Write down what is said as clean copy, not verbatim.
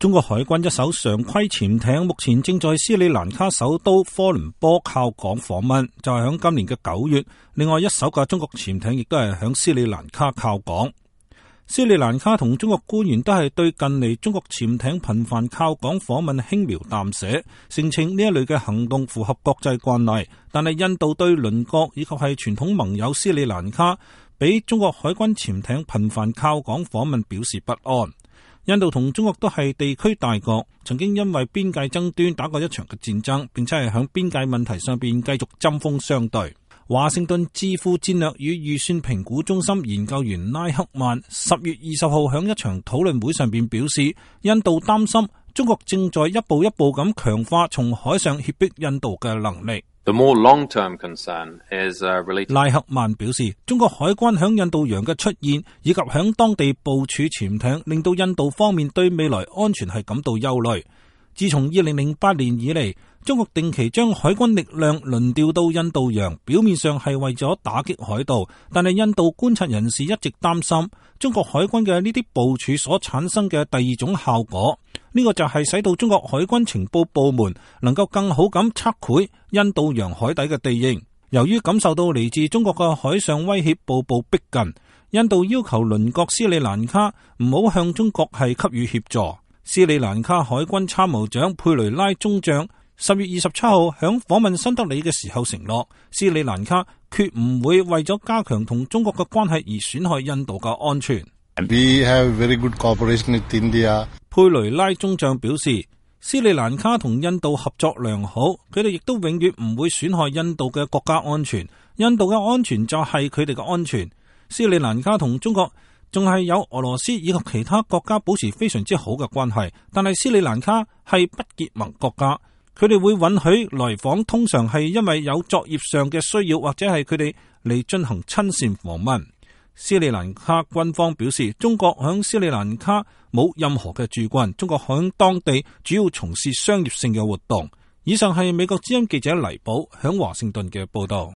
中國海軍一艘常規潛艇目前正在斯里蘭卡首都科倫坡靠港訪問，就係響今年嘅9月。另外一艘嘅中國潛艇亦都係響斯里蘭卡靠港。斯里蘭卡同中國官員都係對近嚟中國潛艇頻繁靠港訪問輕描淡寫，聲稱呢一類嘅行動符合國際慣例。但係印度對鄰國以及係傳統盟友斯里蘭卡俾中國海軍潛艇頻繁靠港訪問表示不安。印度同中國都係地區大國，曾經因為邊界爭端打過一場嘅戰爭，並且係響邊界問題上邊繼續針鋒相對。華盛頓智庫戰略與預算評估中心研究員拉克曼10月20號響一場討論會上邊表示，印度擔心中國正在一步一步咁強化從海上脅迫印度嘅能力。拉克曼表示，中國海軍響印度洋嘅出現以及響當地部署潛艇，令到印度方面對未來安全係感到憂慮。自從2008年以嚟，中國定期將海軍力量輪調到印度洋，表面上係為咗打擊海盜，但係印度觀察人士一直擔心中國海軍嘅呢啲部署所產生嘅第二種效果，呢個就係使到中國海軍情報部門能夠更好咁測繪印度洋海底嘅地形。由於感受到嚟自中國嘅海上威脅步步逼近，印度要求鄰國斯里蘭卡唔好向中國係給予協助。斯里蘭卡海軍參謀長佩雷拉中將10月27號響訪問新德里嘅時候承諾，斯里蘭卡決唔會為咗加強同中國嘅關係而損害印度嘅安全。We have very good cooperation with India. 佩雷拉中將表示，斯里蘭卡同印度合作良好，佢哋亦都永遠唔會損害印度嘅國家安全。印度嘅安全就係佢哋嘅安全。斯里蘭卡同中國仲係有俄羅斯以及其他國家保持非常之好嘅關係，但係斯里蘭卡係不結盟國家，佢哋會允許來訪，通常係因為有作業上嘅需要，或者係佢哋嚟進行親善訪問。斯里蘭卡軍方表示，中國響斯里蘭卡冇任何嘅駐軍，中國響當地主要從事商業性嘅活動。以上係美國之音記者黎寶響華盛頓嘅報道。